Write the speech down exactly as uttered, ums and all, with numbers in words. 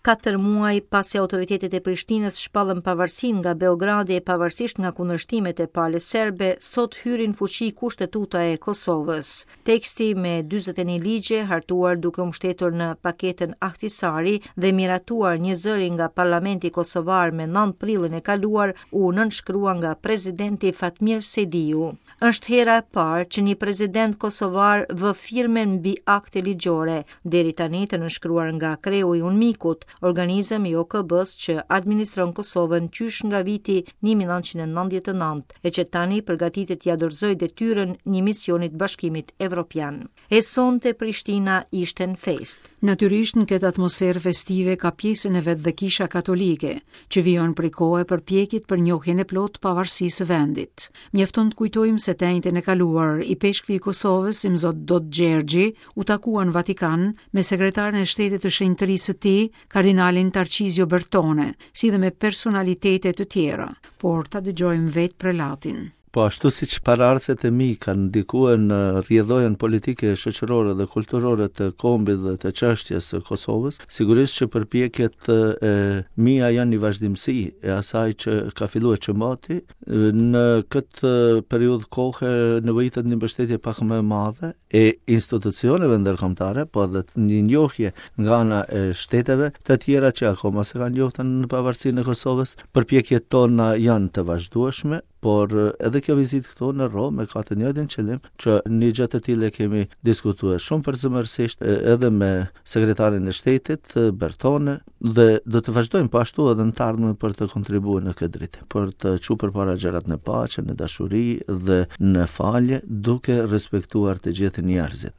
Katër muaj pasi autoritetet e Prishtinës shpallën pavarësinë nga Beogradi e pavarësisht nga kundërshtimet e palës serbe, sot hyri në fuqi Kushtetuta e Kosovës. Teksti me dyzet e një ligje, hartuar duke u mbështetur në paketën Ahtisari dhe miratuar një zëri nga Parlamenti Kosovar me nëntë prillin e kaluar, u nënshkrua nga presidenti Fatmir Sejdiu. Është hera e parë që një president kosovar vë firmen mbi akte ligjore, deri tani të nënshkruar nga kreu i UNMIK-ut, organizëm i O K B-s që administron Kosovën qysh nga viti një mijë e nëntëqind e nëntëdhjetë e nëntë, e që tani përgatitet t'ia dorëzojë detyrën një misionit Bashkimit Evropian. E sonte Prishtina ishte në festë. Natyrisht, në këtë atmosferë festive ka pjesën e vet dhe Kisha Katolike, që vijon prej kohe përpjekjet për njohjen e plotë pavarësisë së vendit. Mjafton të kujtojmë se të enjten e kaluar, ipeshkvi i Kosovës, Imzot Dodë Gjergji, u takua në Vatikan me sekretarin e shtetit të shenjtërisë së tij, kardinalin Tarcizio Bertone, si dhe me personalitete të tjera. Por ta dëgjojmë vetë prelatin. Po ashtu si që paraardhësit e mi kanë ndikuar në rrjedhojën politike, shoqërore dhe kulturore të kombit dhe të çështjes së Kosovës, sigurisht që përpjekjet e mia janë një vazhdimësi e asaj që ka filluar që mati. Në këtë periudhë kohe nevojitet një mbështetje pak më e madhe e institucioneve ndërkombëtare, po edhe një njohje nga ana e shteteve të tjera që akoma s'e kanë njohur në pavarësinë e Kosovës. Përpjekjet tona janë të vazhdueshme, por edhe kjo vizitë këtu në Romë ka të njëjtin qëllim, që një gjë të tillë e kemi diskutuar shumë përzemërsisht edhe me sekretarin e shtetit Bertone dhe do të vazhdojmë po ashtu edhe në të ardhmen për të kontribuar në këtë drejtim, për të çuar përpara gjërat në paqe, në dashuri dhe në falje, duke respektuar të gjithë njerëzit.